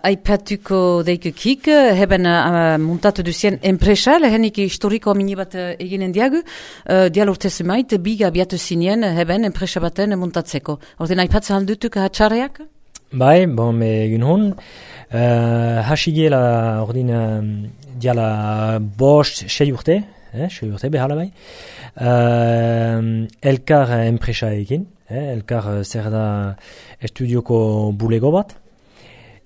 aipatuko deikukik, heben muntatu duzien enpresa, lehenik historiko mini bat eginen diagu, dial urte zumait, biga biatu zinien heben enpresa baten muntatzeko. Orden aipatzen aldutuk hatxarreak? Bai, bon, egin hon, hasigela ordin diala bost 6 urte, 6 urte behala bai, elkar enpresa egin, elkar zer da estudioko bulego bat,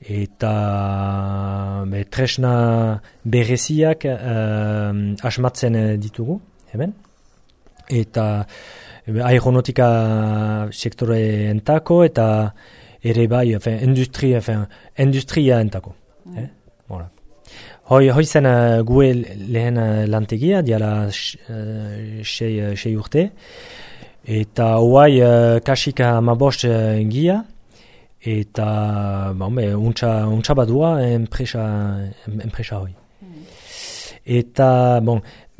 eta tresna bereziak asmatzen ditugu, hemen. Eta aeronautika sektore entako eta ere bai, industria entako. Voilà. Hoi zen gue lehen lantegia, diala 6 urte, eta hoai kasika 15 gia, eta untsa badua enpresa hoi. Eta,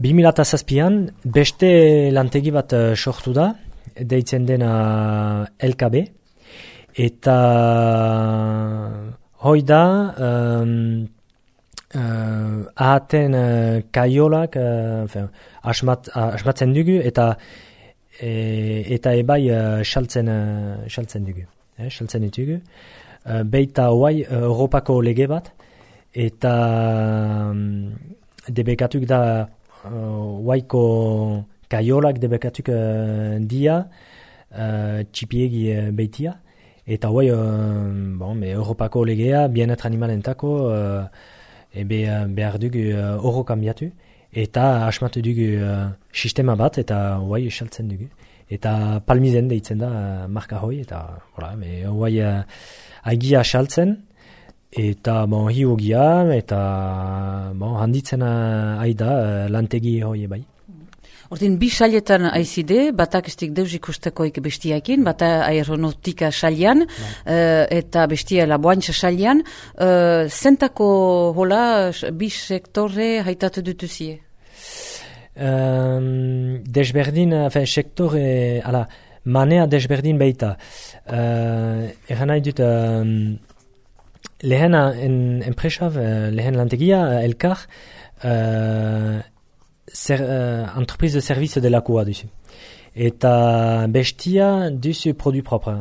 2007an beste lantegi bat sortu da, deitzen dena LKB, eta hoi da ahaten kaiolak asmatzen dugu, eta ebai saltzen dugu. Saltzen ditugu. Beita hoai Europako lege bat, eta debekatuk da hoaiko kaiolak debekatuk dia txipiegi beitia, eta hoai Europako legea bienet animalentako behar dugu oro kambiatu, eta asmatu dugu sistema bat, eta hoai saltzen dugu. Eta palmizen deitzen da marka hoi, eta hoi aigia saltzen, eta hiugia, eta handitzen aida lantegi hoi bai. Ordin, bi sailetan aizide, batak estik deus ikustekoik bestiakin, bata aeronautika sailean, eta bestia laboantxa sailean, zentako hola bi sektore haitatu dutuzie? Desberdin, sektore, manea desberdin beita. Egan nahi dut, lehen enpresa, lehen lantegia, elkar, entreprise de service delakoa duzu. Eta bestia duzu produit propre.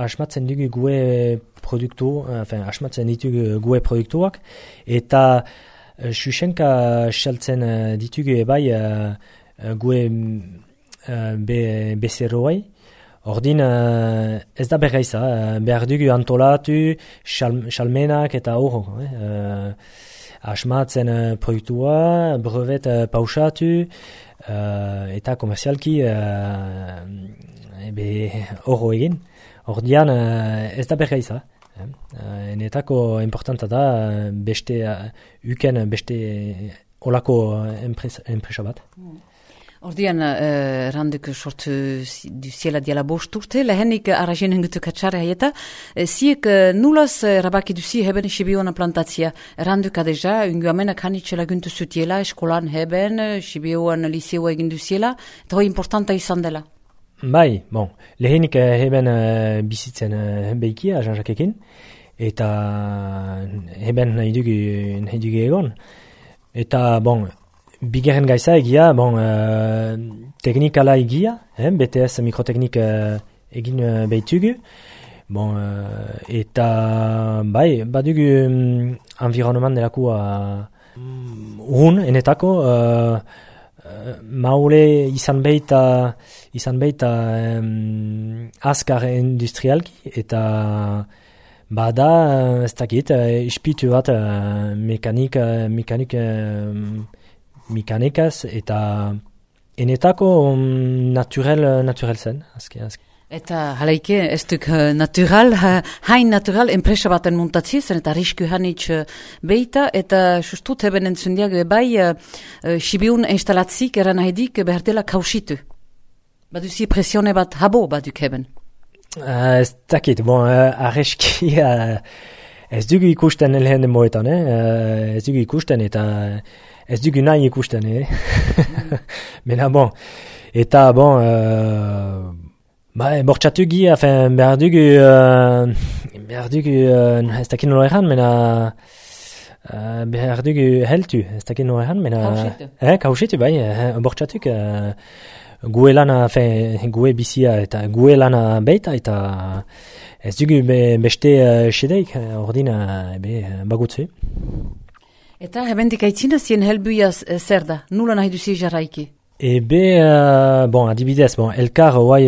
Asmatzen dugu gue produktu, asmatzen ditugu gue produktuak, eta Xuxenka saltzen ditugu ebai gue bezeroai. Ordin ez da berraiza, behar dugu antolatu, salmenak eta horro. Asmatzen produktua, brevet pausatu, eta komerzialki horro egin. Ordian ez da berraiza. Enetako importanta da beste olako enpresa bat. Ordian, randuk sortu duziela diala bost urte, lehenik arrazen hengutuk atxarre haieta, ziek nulaz rabaki duzi heben Sibiona plantatzia. Randuk adeja, ungu amenak hanitxela guntu zutiela, eskolan heben, Sibioan liseoa egin duziela, eta hoi importanta izan dela. Bai, lehenik heben bizitzen behiki, Jean-Jacquekin, eta heben nahi dugu egon. Eta, bigarren gaiza egia, teknikala egia, BTS mikroteknik egin behitugu, eta badugu environnement delakua enetako, maule izan behita azkar industrialki, eta bada, ez dakit, ispitu bat mekanikaz, eta enetako naturel zen, azken. Eta halaike, ez duk natural, hain natural, enpresa baten muntatzi zen, eta risku hanitz beita, eta sustut heben entzundiak bai, Sibiun instalatzik eran haidik behar dela kausitu. Baduzi presione bat habo baduk heben. Ez dakit, arreski ez dugu ikusten lehen moetan, ez dugu ikusten, eta ez dugu nahi ikusten, Mena eta bortxatu gi, behar dugu behar dugu, ez dakit nola erran, mena behar dugu heltu, ez dakit nola erran, mena... Kausetu, bai, bortxatuk, gue lana, gue bizia eta gue lana beita, eta ez dugu beste sedeik, ordin bagutzu. Eta hebendik aitzina zien helbuia zer da? Nula nahi duzi jarraiki? Adibidez, elkar hoai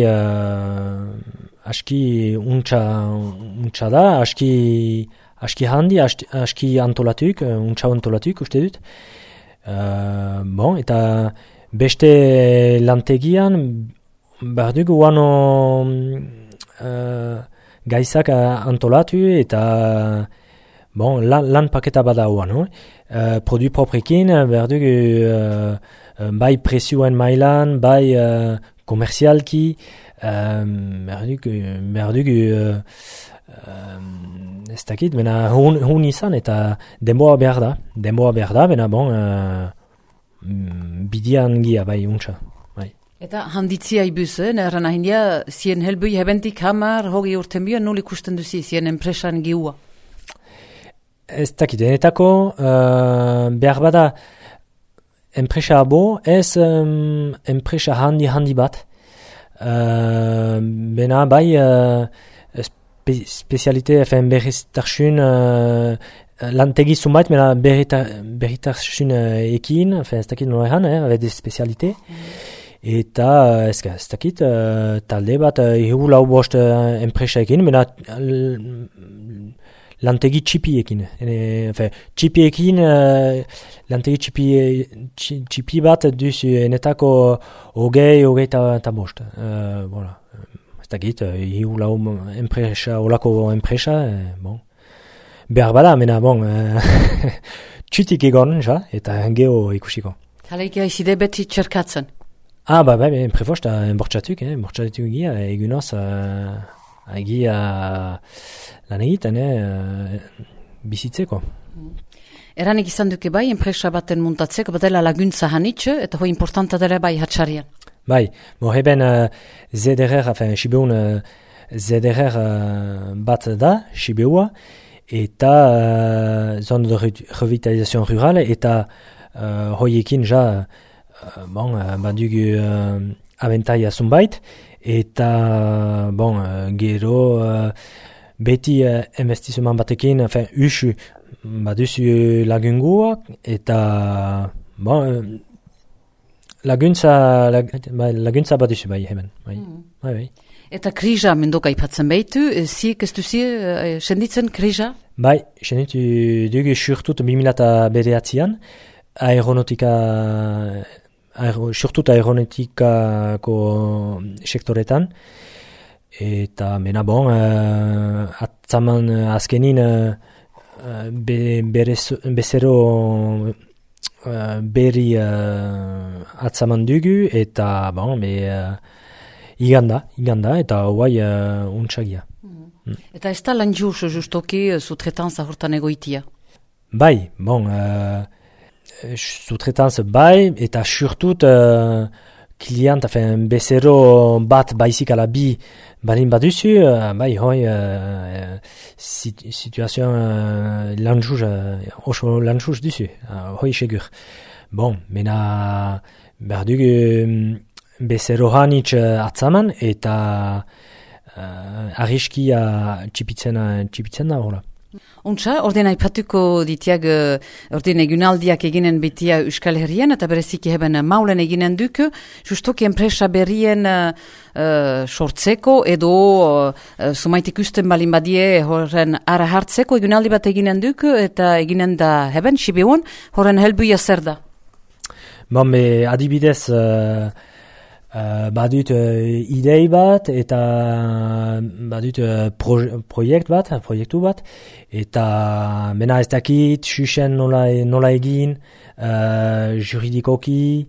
aski untxa da, aski handi, aski antolatuk, untxa antolatuk, uste dut. Eta beste lantegian, behar dugu guano gaizak antolatu eta lan paketa bada guano. Produit proprekin, behar dugu bai presioen mailan, bai komerzialki, behar dugu ez dakit, bena hun izan eta denboa behar da, bena bidian gia bai untxa. Bai. Eta handitzia ibuz, erran ahindia, zien helbui hebentik hamar, hogi urten bian, nul ikusten duzi, zien enpresan giua? Ez dakit, denetako behar bada enpresa abo, ez enpresa handi bat. Bena bai spezialite, berriztasun lantegi zumait, bena berriztasun ekin, ez dakit nola erran, abede spezialite. Eta ez dakit, talde bat, hiru lau bost enpresa ekin, bena lantegi txipiekin. Txipiekin, lantegi txipi bat duzu enetako hogei eta bost. Ez dakit, hiu lau enpresa, olako enpresa, behar bada, mena, txutik egon, eta geho ikusiko. Haleik haizide beti txerkatzen? Prefost, bortxatuk gira, egunoz, egia lan egiten, bizitzeko. Eranik izan duke bai, enpresa baten muntatzeko, badela laguntza hanitxe, eta hoi importanta dela bai hatxarian. Bai, heben ZDR, Sibeun ZDR bat da, Sibeua, eta zone de revitalisation rural, eta hoiekin badugu abentaia zunbait, eta gero beti investizioan batekin, usu baduzu lagunguak, eta laguntza baduzu bai hemen. Bai. Eta krija mendoka ipatzen behitu, ziek ez duzi senditzen krija? Bai, senditu dugu surtut 2009an, surtut aeronautikako sektoretan, eta mena atzaman azkenin bezero berri atzaman dugu, eta iganda, eta hoai untsagia. Eta ez da lan justoki sutretanza hortan egoitia? Bai, sutretanza bai, eta surtut klient, bezero bat baizik ala bi balin baduzu, bai, hoi situazioan oso lanjuz duzu, hoi segur. Mena behar dugu bezero hanitz atzaman, eta arriskia txipitzen da hola. Untsa, orden aipatuko ditiag, orden egunaldiak eginen betia Euskal Herrian, eta bereziki heben maulen eginen duk, justoki enpresa berrien sortzeko, edo sumaitik usten balin badie horren ara hartzeko egunaldi bat eginen duk, eta eginen da heben, Sibeun, horren helbuia zer da? Adibidez, badut idei bat, eta badut proiektu bat, eta mena ez dakit, xuxen nola egin, juridikoki,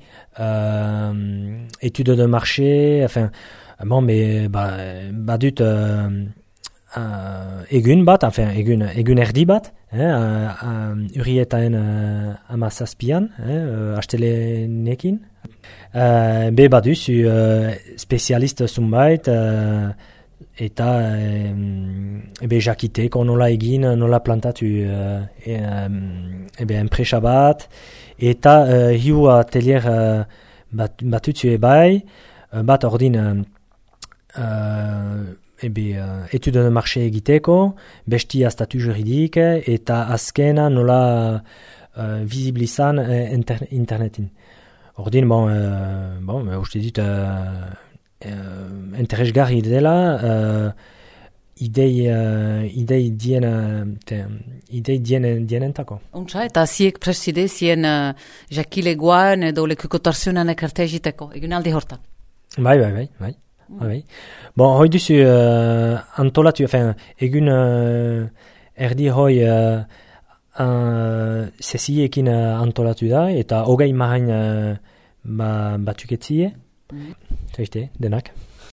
etude de marché, badut egun bat, egun erdi bat, urrietaen amazazpian, astelenekin. Baduzu spezialist zunbait, eta jakiteko nola egin, nola plantatu enpresa bat, eta hiu atelier batutzu bai, bat ordin étude de marché egiteko, bestia statu juridik, eta azkena nola visibilizan internetin. Ordin, uste dit, interesgarri dela, idei dienentako. Untsa, eta ziek preside zien jakilegoan edo lekukotarzionan ekarte egiteko, egin aldi hortan? Bai. Bon, hoi duzu antolatu, egun erdi hoi sesiekin antolatu da, eta hogei mahain batuketzie, denak.